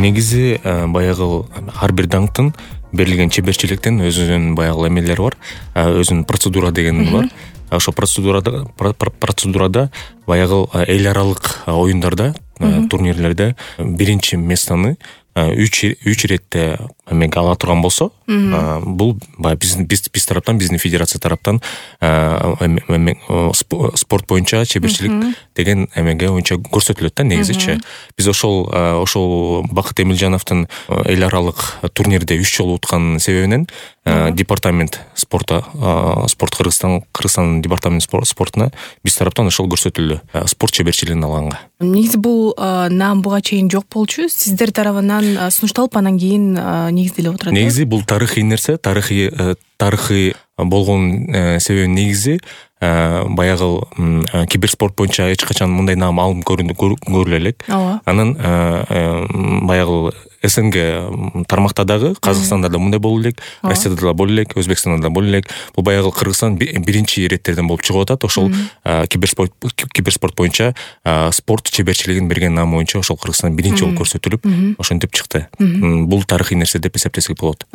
Негизи баягы ар бир даңктын берилген чеберчиликтин өзүнүн баягы эмелери бар, өзүнүн процедура деген бар. Ошо процедурада баягы эл аралык оюндарда, турнирлерде биринчи местону 3 иретте эмеге ала турган болсо, бул биз тараптан, биздин федерация тараптан спорт боюнча чеберчилик деген эмеге боюнча көрсөтүлөт да негизичи. Биз ошол Бакыт Эмилжановдун эл аралык турнирде 3 жолу уткан себебинен департамент спорт Кыргызстан департамент спортуна биз тараптан ошол көрсөтүлдү спорт чеберчилигин алганга. Негизи бул наам буга чейин жок болчу. Сиздер тарабынан сунушталып анан кийин негизделип отурат. Негизи бул тарыхый нерсе, тарыхый болгон себеби негизи баягы киберспорт боюнча эч качан мындай наам алынып көрүлө элек. Анан баягы СНГ тармакта дагы, Казакстанда да мындай боло элек, Россияда да боло элек, Өзбекстанда да боло элек. Бул баягы Кыргызстан биринчи иреттерден болуп чыгып атат. Ошол киберспорт боюнча спорт чеберчилигин берген наам боюнча ошол Кыргызстан биринчи болуп көрсөтүлүп, ошентип чыкты. Бул тарыхый нерсе деп эсептесек болот.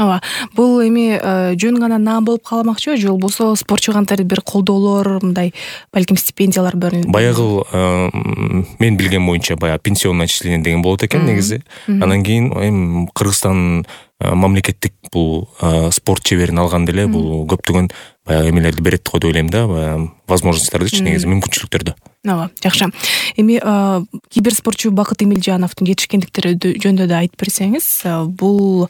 Бул эми жөн гана наам болуп калмакчыбы, же болбосо спортчу кантип бир колдоолор, мындай балким стипендиялар бөлүнөт? Баягы мен билген боюнча баягы пенсионное отчисление деген болот экен негизи. Анан кийин эми Кыргызстан мамлекеттик бул спорт чеберин алганда эле бул көптөгөн баягы эмелерди берет го деп ойлойм да, возможностьтардычы, негизи мүмкүнчүлүктөрдү. Жакшы. Эми киберспортчу Бакыт Эмилжановдун жетишкендиктери жөнүндө да айтып берсеңиз, бул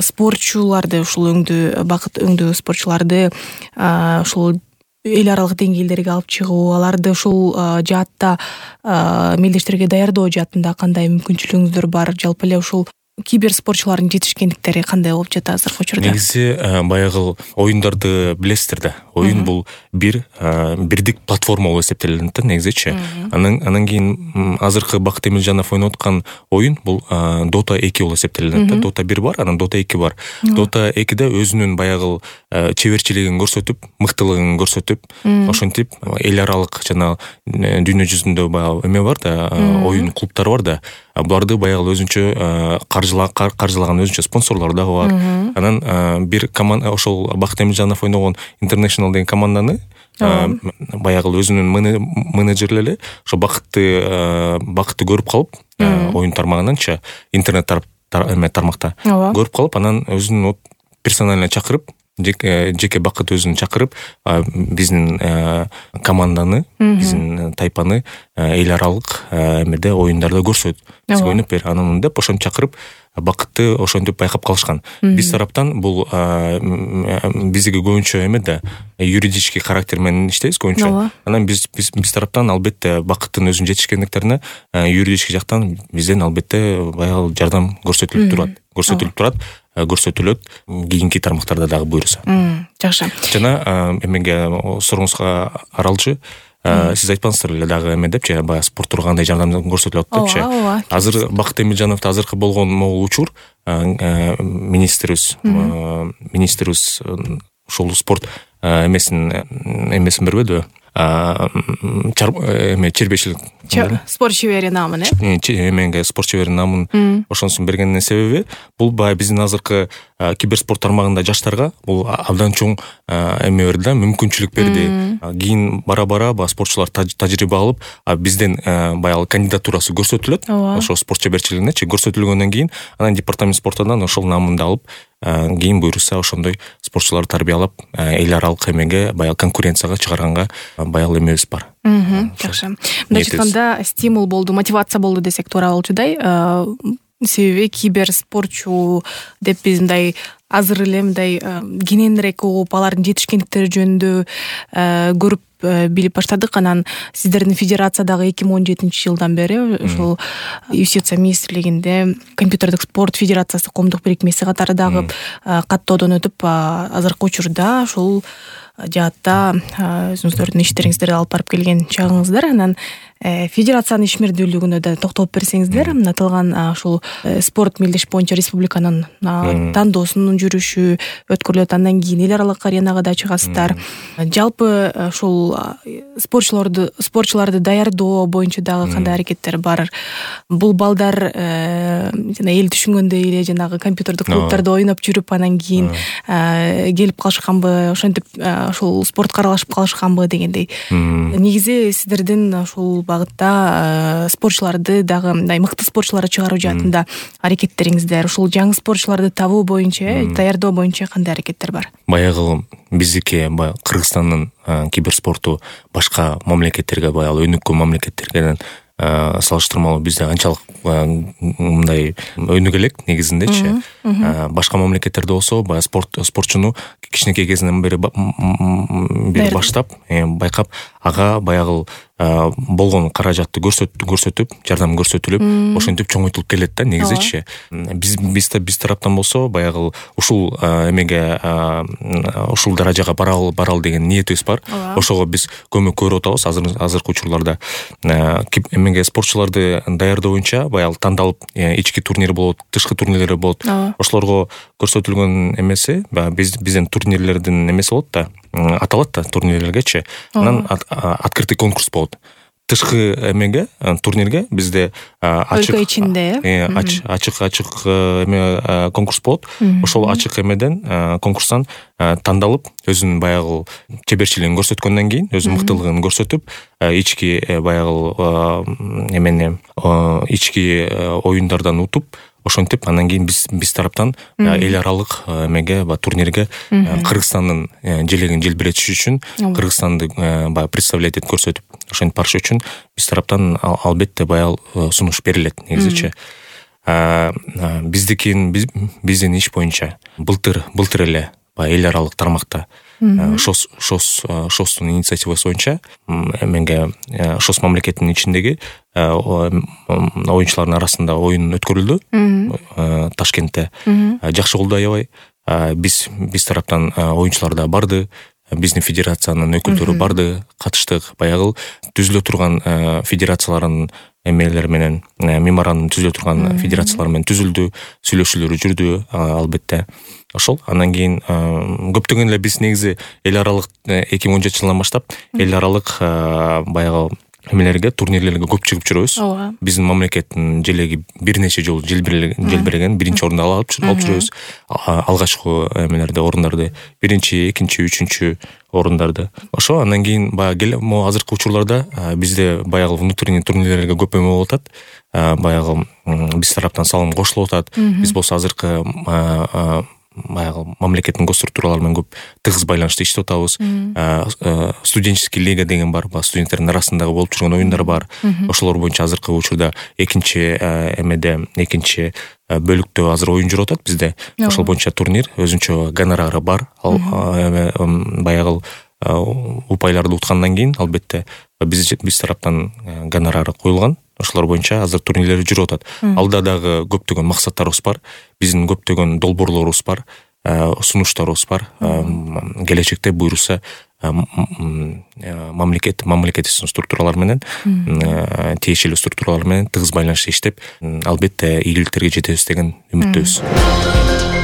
спортчуларды, ушул Бакыт өңдүү спортчуларды ушул эл аралык деңгээлдерге алып чыгуу, аларды ушул жаатта мелдештерге даярдоо жаатында кандай мүмкүнчүлүгүңүздөр бар? Жалпы эле ушул киберспортчулардын жетишкендиктери кандай болуп жатат азыркы учурда? Негизи баягы оюндарды билесиздер да. Оюн бул бирдик платформа болуп эсептелинет да негизичи. Анан кийин азыркы Бакыт Эмилжанов ойноп аткан оюн бул Dota 2 болуп эсептелинет да. Dota 1 бар, анан Dota 2 бар. Dota 2де өзүнүн баягы чеберчилигин көрсөтүп, мыктылыгын көрсөтүп, ошентип эл аралык жана дүйнө жүзүндө баягы эме бар да, оюн клубтары бар да. Буларды баягы өзүнчө каржылаган өзүнчө спонсорлор дагы бар. Анан бир команда, ошол Бакыт Эмилжанов ойногон International деген команданы баягы өзүнүн менеджерлери ошо Бакытты көрүп калып, оюн тармагынанчы, интернет тармакта көрүп калып, анан өзүнүн персонально чакырып, жеке Бакыт өзүн чакырып, биздин команданы, биздин тайпаны эл аралык эмеде оюндарда көрсөт, ойноп бер, анан деп ошентип чакырып, Бакытты ошентип байкап калышкан. Биз тараптан бул биздики көбүнчө эме да, юридический характер менен иштейбиз көбүнчө. Анан биз тараптан албетте Бакыттын өзүнүн жетишкендиктерине юридический жактан бизден албетте баягы жардам көрсөтүлүп көрсөтүлөт кийинки тармактарда дагы буюрса. Жакшы. Жана эмеге сорууңузга аралчы, сиз айтпаңыздар эле дагы эме депчи, баягы спорттор кандай жардам көрсөтүлөт депчи. Азыр Бакыт Эмилжановдо азыркы болгон могул учур министрибиз ушул спорт эмесин бербедиби? Чербешилик спорт чебери наамын, эмеге спорт чебери наамын ошонусун бергенинин себеби бул баягы биздин азыркы киберспорт тармагында жаштарга бул абдан чоң эме берди да, мүмкүнчүлүк берди. Кийин бара спортчулар тажрыйба алып, бизден баягы кандидатурасы көрсөтүлөт, ошо спорт чеберчилигинечи көрсөтүлгөндөн кийин анан департамент спортунан ошол наамынды алып, кийин буюрса ошондой спортчуларды тарбиялап, эл аралык эмеге баягы конкуренцияга чыгарганга баягы эмебиз бар. Жакшы. Мындай айтканда стимул болду, мотивация болду десек туура болчудай. Себеби киберспортчу деп биз мындай азыр эле мындай кененирээк угуп, алардын жетишкендиктери жөнүндө көрүп билип баштадык. Анан сиздердин федерациядагы 2017 жылдан бери ошол юстиция министрлигинде компьютердик спорт федерациясы коомдук бирикмеси катары дагы каттоодон өтүп, азыркы учурда ушул жаатта өзүңүздөрдүн иштериңизди алып барып келген чагыңыздар. Анан федерациянын ишмердүүлүгүнө да токтолуп берсеңиздер, аталган ушул спорт мелдеш боюнча республиканын тандоосунун жүрүшү өткөрүлөт, андан кийин эл аралык аренага да чыгасыздар. Жалпы ушул спортчуларды даярдоо боюнча дагы кандай аракеттер бар? Бул балдар жана эл түшүнгөндөй эле жанагы компьютердик клубдарда ойноп жүрүп анан кийин келип калышканбы, ошентип ушул спортко аралашып калышканбы дегендей. Негизи сиздердин ушул багытта спортчуларды дагы мындай мыкты спортчуларды чыгаруу жаатында аракеттериңиздер, ушул жаңы спортчуларды табуу боюнча, даярдоо боюнча кандай аракеттер бар? Баягы биздики Кыргызстандын киберспорту башка мамлекеттерге, баягы өнүккөн мамлекеттерге салыштырмалуу бизде анчалык мындай өнүгө элек негизиндечи. Башка мамлекеттерде болсо баягы спортчуну кичинекей кезинен бери баштап байкап, ага баягы болгон каражатты көрсөтүп, жардам көрсөтүлүп, ошентип чоңойтулуп келет да негизичи. Биз тараптан болсо баягы ушул эмеге, ушул даражага баралы деген ниетибиз бар. Ошого биз көмөк көрүп атабыз азыркы учурларда. Эмеге спортчуларды даярдоо боюнча баягы тандалып, ички турнир болот, тышкы турнирлер болот. Ошолорго көрсөтүлгөн эмеси биздин турнирлердин эмеси болот да, аталат да турнирлергечи. Анан открытый конкурс болот. Тышкы эмеге, турнирге бизде ачык ичинде ачык эме конкурс болот. Ошол ачык эмеден, конкурстан тандалып, өзүнүн баягы чеберчилигин көрсөткөндөн кийин, өзүнүн мыктылыгын көрсөтүп, ички баягы эмени ички оюндардан утуп, ошентип анан кийин биз тараптан эл аралык эмеге, турнирге Кыргызстандын желегин желбиретиш үчүн, Кыргызстанды баягы представлять этип көрсөтүп, ошентип барыш үчүн биз тараптан албетте баягы сунуш берилет негизичи. Биздин иш боюнча былтыр эле эл аралык тармакта ШОСтун инициативасы боюнча эмеге ШОС мамлекетинин ичиндеги оюнчулардын арасында оюн өткөрүлдү Ташкентте. Жакшы болду аябай. Биз тараптан оюнчулар да барды, биздин федерациянын өкүлдөрү барды, катыштык. Баягы түзүлө турган федерациялардын эмелери менен, меморандум түзүлө турган федерациялар менен түзүлдү, сүйлөшүүлөр жүрдү албетте. Ошол андан кийин көптөгөн эле биз негизи эл аралык 2017 жылдан баштап эл аралык баягы эмелерге, турнирлерге көп чыгып жүрөбүз. Биздин мамлекеттин желеги бир нече жолу желбиреген, биринчи орунду алып жүрөбүз. Алгачкы эмелерде, орундарды, биринчи, экинчи, үчүнчү орундарды. Ошо андан кийин баягы азыркы учурларда бизде баягы внутренний турнирлерге көп эме болуп атат. Баягы биз тараптан салым кошулуп атат. Биз болсо азыркы баягы мамлекеттин госструктуралары менен көп тыгыз байланышта иштеп атабыз. Студенческий лига деген бар, студенттердин арасындагы болуп жүргөн оюндар бар. Ошолор боюнча азыркы учурда экинчи бөлүктө азыр оюн жүрүп атат бизде. Ошол боюнча турнир, өзүнчө гонорары бар. Баягы упайларды уткандан кийин албетте биз тараптан гонорары коюлган. Ошолор боюнча азыр турнирлер жүрүп атат. Алда дагы көптөгөн максаттарыбыз бар. Биздин көптөгөн долбоорлорубуз бар, сунуштарыбыз бар. Келечекте буйруса мамлекеттин структуралары менен, тиешелүү структуралар менен тыгыз байланышта иштеп, албетте ийгиликтерге жетебиз деген үмүттөбүз.